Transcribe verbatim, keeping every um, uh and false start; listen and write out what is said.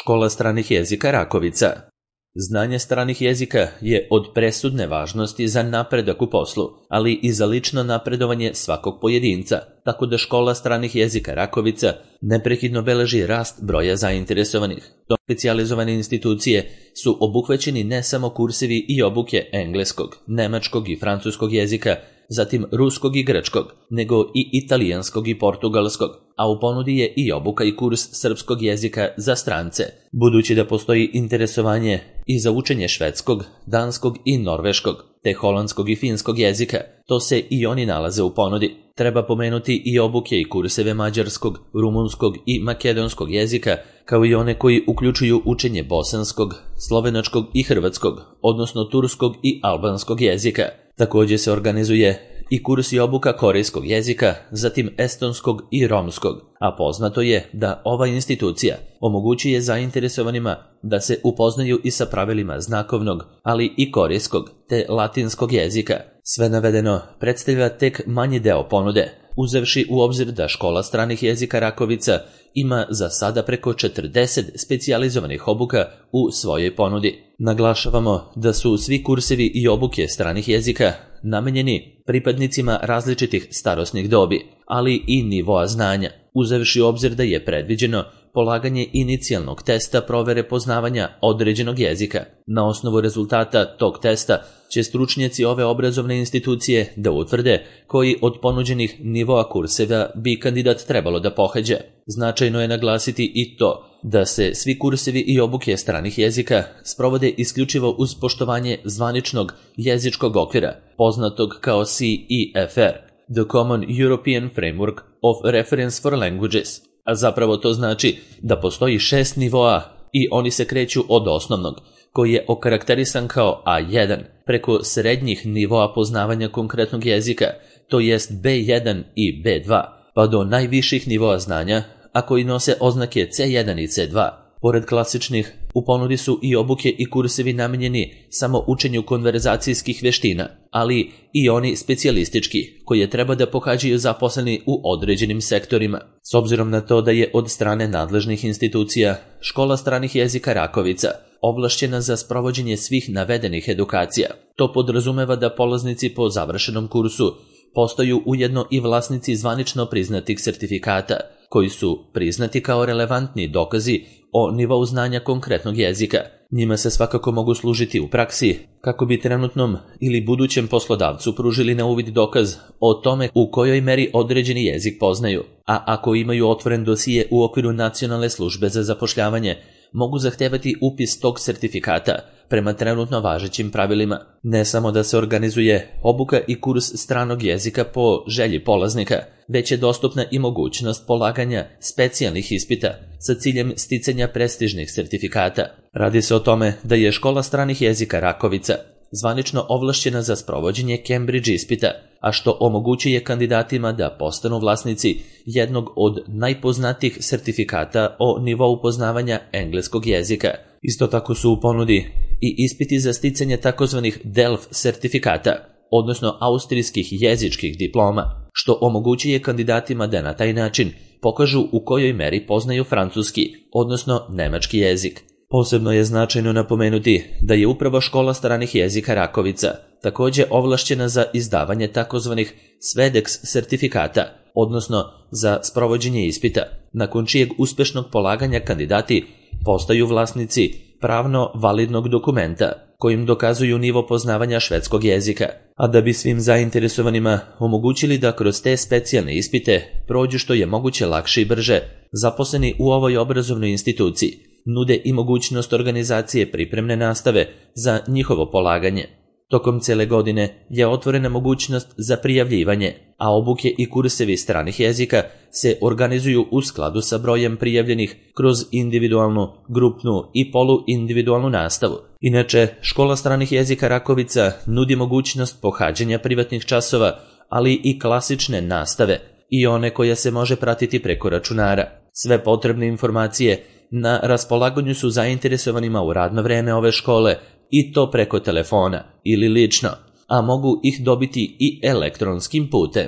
Škola stranih jezika Rakovica. Znanje stranih jezika je od presudne važnosti za napredak u poslu, ali i za lično napredovanje svakog pojedinca, tako da Škola stranih jezika Rakovica neprekidno beleži rast broja zainteresovanih. To specijalizovane institucije su obuhvaćeni ne samo kursevi i obuke engleskog, nemačkog i francuskog jezika, zatim ruskog i grčkog, nego i italijanskog i portugalskog, a u ponudi je i obuka i kurs srpskog jezika za strance, budući da postoji interesovanje i za učenje švedskog, danskog i norveškog, te holandskog i finskog jezika, to se i oni nalaze u ponudi. Treba pomenuti i obuke i kurseve mađarskog, rumunskog i makedonskog jezika, kao i one koji uključuju učenje bosanskog, slovenačkog i hrvatskog, odnosno turskog i albanskog jezika. Također se organizuje i kurs i obuka korejskog jezika, zatim estonskog i romskog, a poznato je da ova institucija omogućuje zainteresovanima da se upoznaju i sa pravilima znakovnog, ali i korejskog te latinskog jezika. Sve navedeno predstavlja tek manji deo ponude, uzevši u obzir da Škola stranih jezika Rakovica ima za sada preko četrdeset specijalizovanih obuka u svojoj ponudi. Naglašavamo da su svi kursevi i obuke stranih jezika namenjeni pripadnicima različitih starosnih dobi, ali i nivoa znanja, uzevši u obzir da je predviđeno polaganje inicijalnog testa provere poznavanja određenog jezika. Na osnovu rezultata tog testa će stručnjaci ove obrazovne institucije da utvrde koji od ponuđenih nivoa kurseva bi kandidat trebalo da pohađa. Značajno je naglasiti i to da se svi kursevi i obuke stranih jezika sprovode isključivo uz poštovanje zvaničnog jezičkog okvira, poznatog kao C E F R, The Common European Framework of Reference for Languages, a zapravo to znači da postoji šest nivoa i oni se kreću od osnovnog, koji je okarakterisan kao A jedan, preko srednjih nivoa poznavanja konkretnog jezika, to jest B jedan i B dva, pa do najviših nivoa znanja, a koji nose oznake C jedan i C dva. Pored klasičnih, u ponudi su i obuke i kursevi namenjeni samo učenju konverzacijskih veština, ali i oni specijalistički, koje treba da pohađaju zaposleni u određenim sektorima. S obzirom na to da je od strane nadležnih institucija Škola stranih jezika Rakovica ovlašćena za sprovođenje svih navedenih edukacija, to podrazumeva da polaznici po završenom kursu postaju ujedno i vlasnici zvanično priznatih sertifikata, koji su priznati kao relevantni dokazi o nivou znanja konkretnog jezika. Njima se svakako mogu služiti u praksi kako bi trenutnom ili budućem poslodavcu pružili na uvid dokaz o tome u kojoj meri određeni jezik poznaju, a ako imaju otvoren dosije u okviru Nacionalne službe za zapošljavanje, mogu zahtevati upis tog sertifikata prema trenutno važećim pravilima. Ne samo da se organizuje obuka i kurs stranog jezika po želji polaznika, već je dostupna i mogućnost polaganja specijalnih ispita sa ciljem sticanja prestižnih sertifikata. Radi se o tome da je Škola stranih jezika Rakovica zvanično ovlašćena za sprovođenje Cambridge ispita, a što omogućuje kandidatima da postanu vlasnici jednog od najpoznatijih sertifikata o nivou poznavanja engleskog jezika. Isto tako su u ponudi i ispiti za sticanje takozvanih DELF sertifikata, odnosno austrijskih jezičkih diploma, što omogućuje kandidatima da na taj način pokažu u kojoj meri poznaju francuski, odnosno nemački jezik. Posebno je značajno napomenuti da je upravo Škola stranih jezika Rakovica također ovlašćena za izdavanje takozvanih SVEDEX sertifikata, odnosno za sprovođenje ispita, nakon čijeg uspešnog polaganja kandidati postaju vlasnici pravno validnog dokumenta kojim dokazuju nivo poznavanja švedskog jezika, a da bi svim zainteresovanima omogućili da kroz te specijalne ispite prođu što je moguće lakše i brže, zaposleni u ovoj obrazovnoj instituciji nude i mogućnost organizacije pripremne nastave za njihovo polaganje. Tokom cele godine je otvorena mogućnost za prijavljivanje, a obuke i kursevi stranih jezika se organizuju u skladu sa brojem prijavljenih kroz individualnu, grupnu i poluindividualnu nastavu. Inače, Škola stranih jezika Rakovica nudi mogućnost pohađanja privatnih časova, ali i klasične nastave i one koja se može pratiti preko računara. Sve potrebne informacije na raspolaganju su zainteresovanima u radno vreme ove škole i to preko telefona ili lično, a mogu ih dobiti i elektronskim putem.